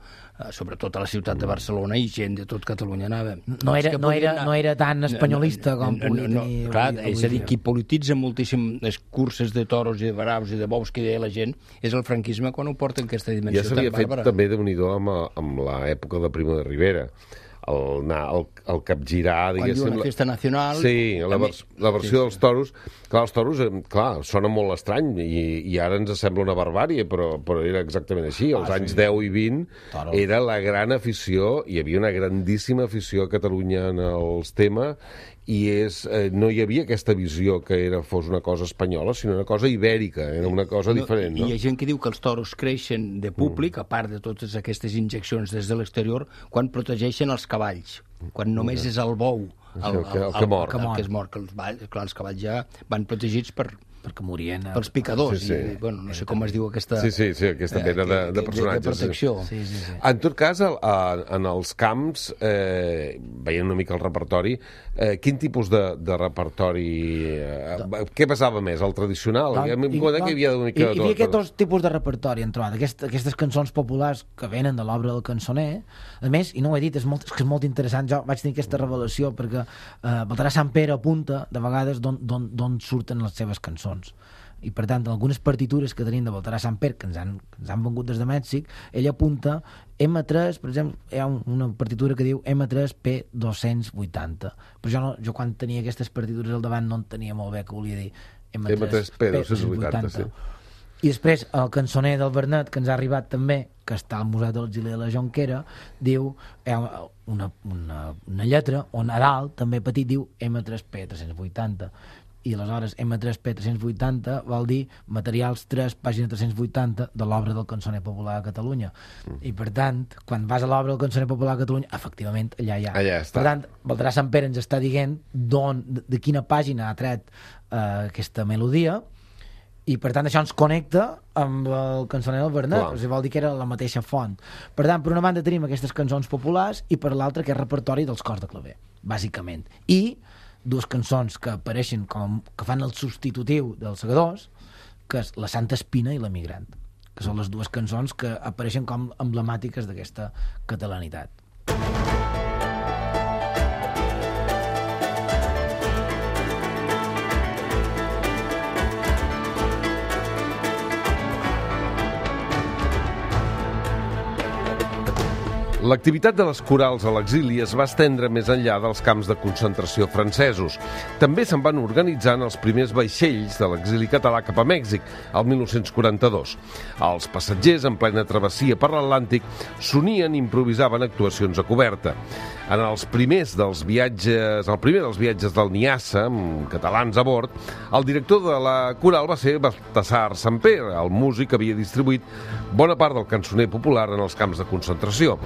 sobretot a la ciutat de Barcelona, i gent de tot Catalunya anava. No era tan espanyolista com podia tenir... Clar, és a dir, qui polititza moltíssim les curses de toros i de braus i de bous que deia la gent és el franquisme quan ho porta en aquesta dimensió tan bàrbara. Ja s'havia fet també, Déu-n'hi-do, amb l'època de Primo de Rivera. el capgirar, Quan diu una festa nacional... Sí, la versió dels toros. Clar, els toros, sona molt estrany i ara ens sembla una barbàrie, però era exactament així. Als anys 10 i 20 era la gran afició, hi havia una grandíssima afició a Catalunya en els temes, i no hi havia aquesta visió que fos una cosa espanyola, sinó una cosa ibèrica, era una cosa diferent. No? Hi ha gent que diu que els toros creixen de públic, a part de totes aquestes injeccions des de l'exterior, quan protegeixen els cavalls, quan només és el bou el que mor. Que es mor, que els cavalls ja van protegits perquè morien pels picadors. Sí. I, bueno, no sé com es diu aquesta... Sí, aquesta mena de personatges. De protecció. Sí. En tot cas, en els camps, veient una mica el repertori, quin tipus de repertori... Què pesava més? El tradicional? Hi havia aquests dos tipus de repertori, han trobat. Aquestes cançons populars que venen de l'obra del cançoner. A més, i no ho he dit, és molt interessant, jo vaig tenir aquesta revelació perquè Baltasar Samper apunta de vegades d'on surten les seves cançons. I per tant, en algunes partitures que tenim de Baltasar Samper, que ens han vengut des de Mèxic, ell apunta M3, per exemple, hi ha una partitura que diu M3 P280, però jo quan tenia aquestes partitures al davant no entenia molt bé què volia dir M3 P280, sí. I després el cançoner del Bernet, que ens ha arribat també, que està al Museu de l'Exili de la Jonquera, diu una lletra on a dalt, també petit, diu M3 P380, i aleshores M3P 380 vol dir materials 3, pàgina 380 de l'obra del cançoner popular a Catalunya. I per tant, quan vas a l'obra del cançoner popular a Catalunya, efectivament, allà hi ha. Allà està. Per tant, Baltasar Samper ens està dient de quina pàgina ha tret aquesta melodia, i per tant això ens connecta amb el cançoner del Bernet, o sigui, vol dir que era la mateixa font. Per tant, per una banda tenim aquestes cançons populars i per l'altra aquest repertori dels cors de claver, bàsicament. I dues cançons que apareixen que fan el substitutiu dels segadors, que és La Santa Espina i L'Emigrant, que són les dues cançons que apareixen com emblemàtiques d'aquesta catalanitat. L'activitat de les corals a l'exili es va estendre més enllà dels camps de concentració francesos. També se'n van organitzant els primers vaixells de l'exili català cap a Mèxic, el 1942. Els passatgers, en plena travessia per l'Atlàntic, s'unien i improvisaven actuacions a coberta. En el primer dels viatges del Niassa, amb catalans a bord, el director de la coral va ser Baltasar Samper, el músic que havia distribuït bona part del cançoner popular en els camps de concentració.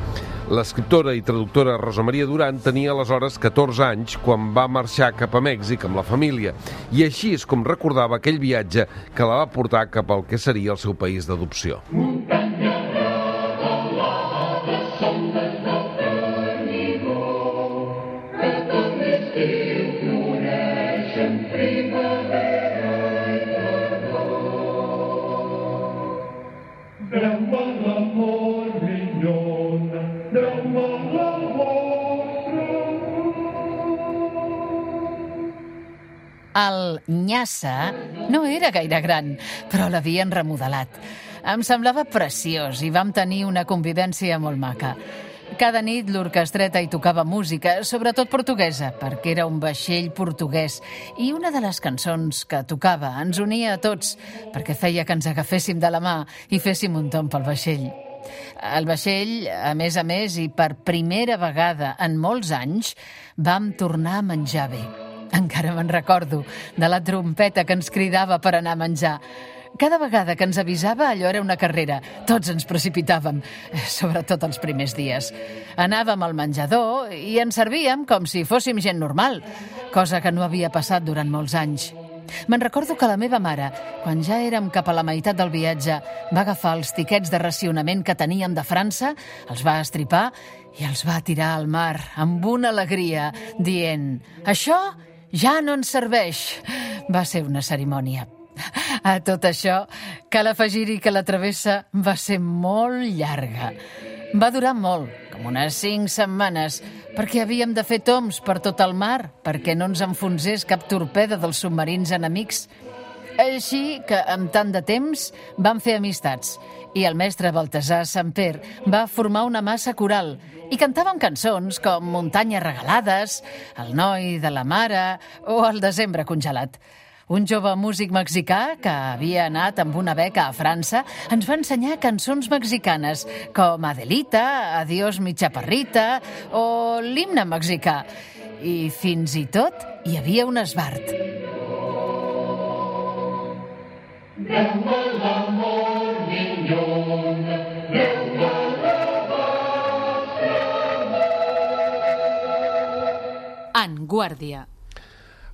L'escriptora i traductora Rosa Maria Duran tenia aleshores 14 anys quan va marxar cap a Mèxic amb la família, i així és com recordava aquell viatge que la va portar cap al que seria el seu país d'adopció. El Niassa no era gaire gran, però l'havien remodelat. Em semblava preciós i vam tenir una convivència molt maca. Cada nit l'orquestreta hi tocava música, sobretot portuguesa, perquè era un vaixell portuguès, i una de les cançons que tocava ens unia a tots, perquè feia que ens agaféssim de la mà i féssim un tomb pel vaixell. El vaixell, a més, i per primera vegada en molts anys, vam tornar a menjar bé. Encara me'n recordo de la trompeta que ens cridava per anar a menjar. Cada vegada que ens avisava, allò era una carrera. Tots ens precipitàvem, sobretot els primers dies. Anàvem al menjador i ens servíem com si fóssim gent normal, cosa que no havia passat durant molts anys. Me'n recordo que la meva mare, quan ja érem cap a la meitat del viatge, va agafar els tiquets de racionament que teníem de França, els va estripar i els va tirar al mar amb una alegria, dient: «Això ja no ens serveix». Va ser una cerimònia. A tot això, cal afegir-hi que la travessa va ser molt llarga. Va durar molt, com unes 5 setmanes, perquè havíem de fer tombs per tot el mar, perquè no ens enfonsés cap torpeda dels submarins enemics. Així que, amb tant de temps, vam fer amistats. i el mestre Baltasar Samper va formar una massa coral i cantaven cançons com Muntanyes regalades, El noi de la mare o El desembre congelat. Un jove músic mexicà que havia anat amb una beca a França ens va ensenyar cançons mexicanes com Adelita, Adiós mi chaparrita o l'himne mexicà. I fins i tot hi havia un esbart. En Guàrdia.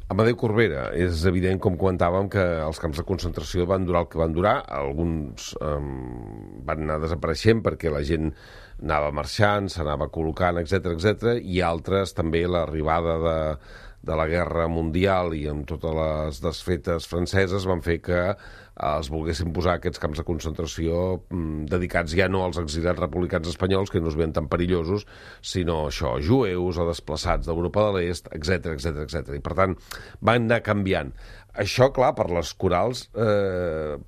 Amadeu Corbera, és evident, com comentàvem, que els camps de concentració van durar el que van durar. Alguns van anar desapareixent perquè la gent anava marxant, s'anava col·locant, etc, i altres també l'arribada de la Guerra Mundial i amb totes les desfetes franceses van fer que es volguessin posar aquests camps de concentració dedicats ja no als exiliats republicans espanyols, que no es veien tan perillosos, sinó això, jueus o desplaçats d'Europa de l'Est, etc. I per tant, van anar canviant. Això, clar, per les corals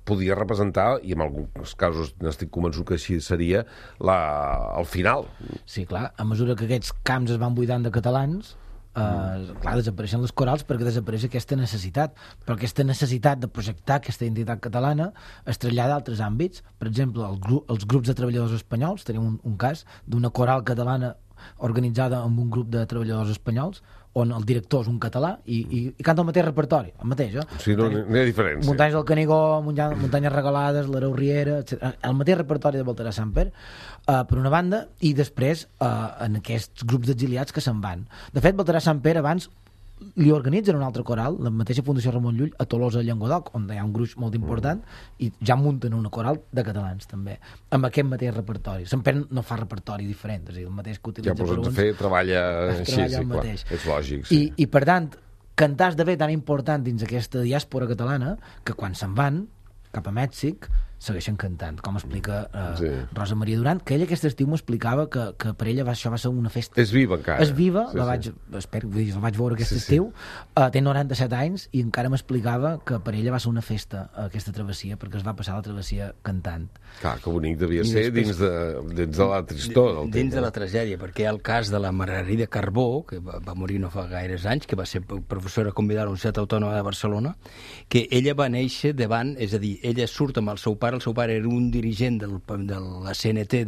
podia representar, i en alguns casos n'estic convençut que així seria, el final. Sí, clar, a mesura que aquests camps es van buidant de catalans, clar, desapareixen les corals perquè desapareix aquesta necessitat, però aquesta necessitat de projectar aquesta identitat catalana es trasllada a altres àmbits. Per exemple, els grups de treballadors espanyols, tenim un cas d'una coral catalana organitzada amb un grup de treballadors espanyols on el director és un català i canta el mateix repertori, el mateix, Sí, no hi ha diferència. Muntanyes del Canigó, Muntanyes regalades, l'Areu Riera, etc. El mateix repertori de Baltasar Samper, per una banda, i després en aquests grups d'exiliats que se'n van. De fet, Baltasar Samper abans li organitzen un altre coral, la mateixa Fundació Ramon Llull, a Tolosa, Llenguadoc, on hi ha un gruix molt important, i ja munten una coral de catalans, també, amb aquest mateix repertori. Samper no fa repertori diferent, és a dir, el mateix que utilitza per uns... treballa així, sí, clar, és lògic. Sí. I, per tant, cantar esdevé tan important dins aquesta diàspora catalana que quan se'n van cap a Mèxic segueixen cantant, com explica Rosa Maria Duran, que ella aquest estiu m'explicava que per ella això va ser una festa. És viva encara. És viva, la vaig veure aquest estiu, té 97 anys i encara m'explicava que per ella va ser una festa aquesta travessia, perquè es va passar la travessia cantant. Clar, que bonic devia ser dins de la tristor. Dins de la tragèdia, perquè hi ha el cas de la Margarida Carbó, que va morir no fa gaires anys, que va ser professora convidada a la Universitat Autònoma de Barcelona, que ella va néixer davant, és a dir, ella surt amb el seu pare era un dirigent de la CNT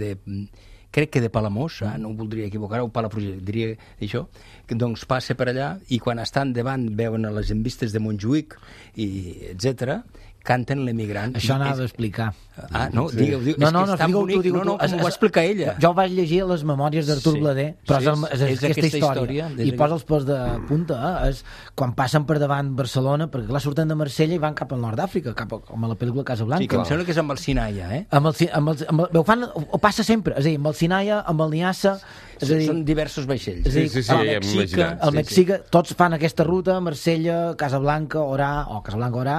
crec que de Palamós, no ho voldria equivocar, o Palafrugell, diria això, que doncs passa per allà i quan estan davant veuen a les envistes de Montjuïc i etc, canten l'emigrant. Això anava a explicar. No, digueu. És que és tan bonic. No, com ho va explicar ella. Jo vaig llegir les memòries d'Artur Blader, però és aquesta història. I posa els pèls de punta. És quan passen per davant Barcelona, perquè clar, surten de Marsella i van cap al nord d'Àfrica, com a la pel·lícula Casablanca. Sí, que em sembla que és amb el Sinaia, ho passa sempre, és a dir, amb el Sinaia, amb el Niassa... Són diversos vaixells. El Mèxic, tots fan aquesta ruta, Marsella, Casablanca, Orà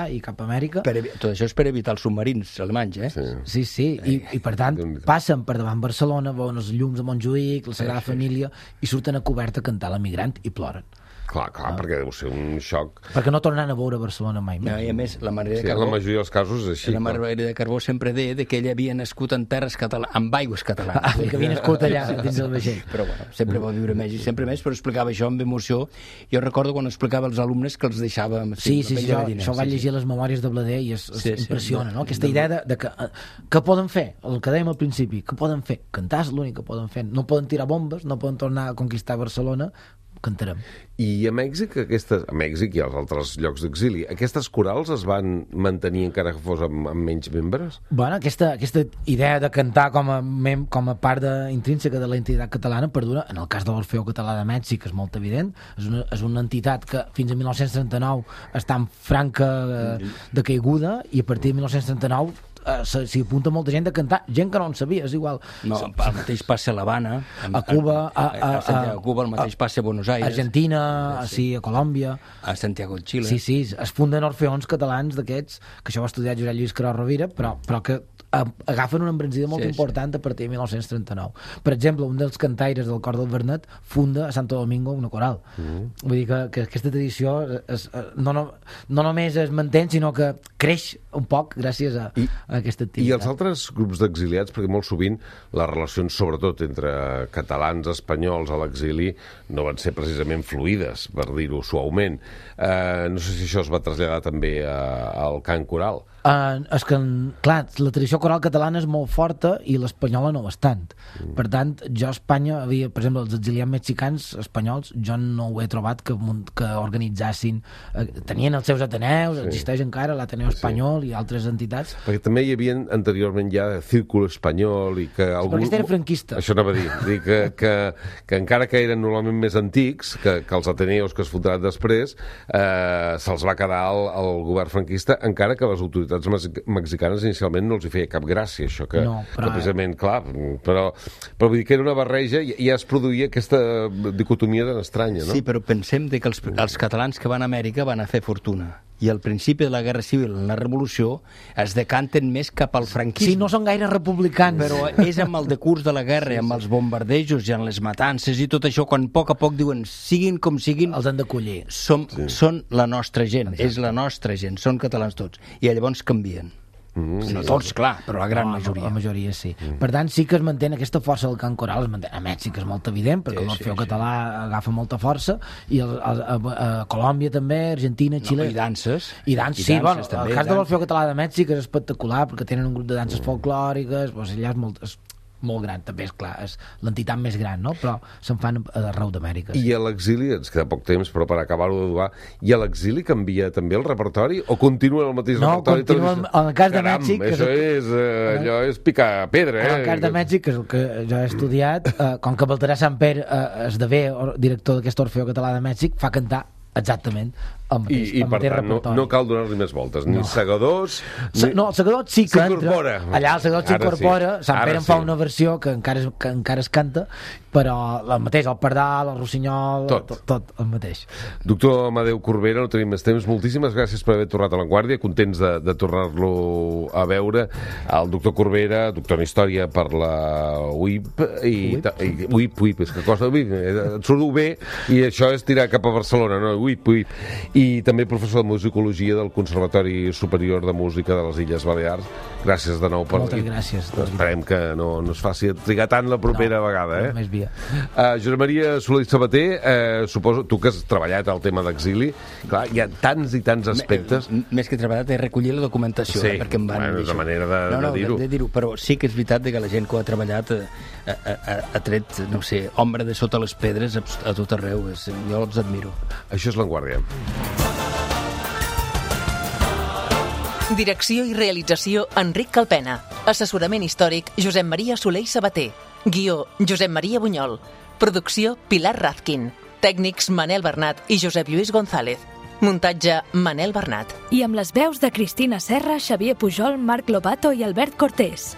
i cap a Amèrica. Tot això és per evitar els submarins alemanys, Sí, i per tant passen per davant Barcelona, veuen els llums de Montjuïc, la Sagrada Família, i surten a cobert a cantar l'emigrant i ploren. Clar, perquè deu ser un xoc. Perquè no tornaran a veure Barcelona mai més. I a més, la Margarida Carbó... En la majoria dels casos és així. La Margarida Carbó sempre deia que ella havia nascut en terres catalanes, amb aigües catalanes. Que havia nascut allà, dins del vaixell. Però bueno, sempre va viure més i sempre més, però explicava això amb emoció. Jo recordo quan explicava als alumnes que els deixava... Sí, això vaig llegir les memòries de Blader i impressiona, no? Aquesta idea de que poden fer, el que dèiem al principi, que poden fer? Cantar és l'únic que poden fer. No poden tirar bombes, no poden tornar a conquistar Barcelona, cantarem. I a Mèxic i als altres llocs d'exili, aquestes corals es van mantenir encara que fos amb menys membres? Bueno, aquesta idea de cantar com a part intrínseca de la identitat catalana perdura. En el cas de l'Orfeó Català de Mèxic és molt evident, és una entitat que fins a 1939 està en franca decaiguda i a partir de 1939 s'hi apunta molta gent a cantar, gent que no en sabia, és igual. No, el mateix passa a l'Havana, a Cuba, a Cuba, el mateix passa a Buenos Aires, Argentina, a Colòmbia, a Santiago de Xile. Sí, es funden orfeons catalans d'aquests, que això ho ha estudiat Josep Lluís Caró Rovira, però que agafen una embranzida molt important a partir de 1939. Per exemple, un dels cantaires del cor del Vernet funda a Santo Domingo una coral. Vull dir que aquesta tradició no només es manté, sinó que creix un poc gràcies a aquesta activitat. I els altres grups d'exiliats, perquè molt sovint les relacions, sobretot entre catalans espanyols a l'exili, no van ser precisament fluides, per dir-ho suaument. No sé si això es va traslladar també al cant coral. És que, clar, la tradició coral catalana és molt forta i l'espanyola no ho és tant. Per tant, jo a Espanya havia, per exemple, els exiliats mexicans espanyols, jo no ho he trobat que organitzassin, tenien els seus ateneus, existeix encara l'Ateneu Espanyol i altres entitats. Perquè també hi havia anteriorment ja Círculo Espanyol i que algú... Perquè era franquista. Això anava a dir que encara que eren normalment més antics que els ateneus que es fundaran després, se'ls va quedar el govern franquista, encara que les autoritats mexicanes inicialment no els hi feia cap gràcia, això que precisament, clar, però vull dir que era una barreja i ja es produïa aquesta dicotomia tan estranya, no? Sí, però pensem que els catalans que van a Amèrica van a fer fortuna. I al principi de la Guerra Civil, en la Revolució, es decanten més cap al franquisme. Sí, no són gaire republicans. Però és amb el decurs de la guerra, amb els bombardejos i amb les matances i tot això, quan a poc diuen, siguin com siguin... Els han d'acollir. Són la nostra gent, és la nostra gent, són catalans tots. I llavors canvien. No tots, clar, però la gran majoria. La majoria sí. Per tant, sí que es manté aquesta força del cant coral, es manté. A Mèxic és molt evident, perquè l'Orfeó Català agafa molta força, i a Colòmbia també, Argentina, Xile... I danses. I danses, sí, bueno, el cas de l'Orfeó Català de Mèxic és espectacular, perquè tenen un grup de danses folclòriques, allà és molt gran, també és clar, és l'entitat més gran, no? Però se'n fan arreu d'Amèrica. I a l'exili, ens queda poc temps, però per acabar-ho de dur, i a l'exili canvia també el repertori o continua el mateix repertori? No, continua en el cas de Mèxic... Allò és picar pedra, En el cas de Mèxic, que és el que jo he estudiat, com que Baltasar Samper esdevé director d'aquest Orfeó Català de Mèxic, fa cantar exactament el mateix, I per tant no cal donar-li més voltes, ni segadors... No, el segador sí que entra. Allà el segador s'incorpora, Sant Pere en fa una versió que encara es canta, però el mateix, el pardal, el rossinyol, tot el mateix. Doctor Amadeu Corbera, no tenim més temps, moltíssimes gràcies per haver tornat a La Guàrdia, contents de tornar-lo a veure. El doctor Corbera, doctor en Història per la UIP, UIP, és que costa UIP, et surt bé, i això és tirar cap a Barcelona, no? UIP. I també professor de musicologia del Conservatori Superior de Música de les Illes Balears. Gràcies de nou. Moltes gràcies. Esperem que no es faci trigar tant la propera vegada. Més via. Josep Maria Soler i Sabater, suposo, tu que has treballat al tema d'exili, clar, hi ha tants i tants aspectes. Més que treballat, he recollit la documentació, perquè em van dir és la manera de dir-ho. Però sí que és veritat que la gent que ho ha treballat ha tret, no sé, ombra de sota les pedres a tot arreu. Jo els admiro. Això és La Guàrdia. Direcció i realització Enric Calpena. Assessorament històric Josep Maria Soler i Sabater. Guió Josep Maria Bunyol. Producció Pilar Razkin. Tècnics Manel Bernat i Josep Lluís González. Muntatge Manel Bernat. I amb les veus de Cristina Serra, Xavier Pujol, Marc Lobato i Albert Cortés.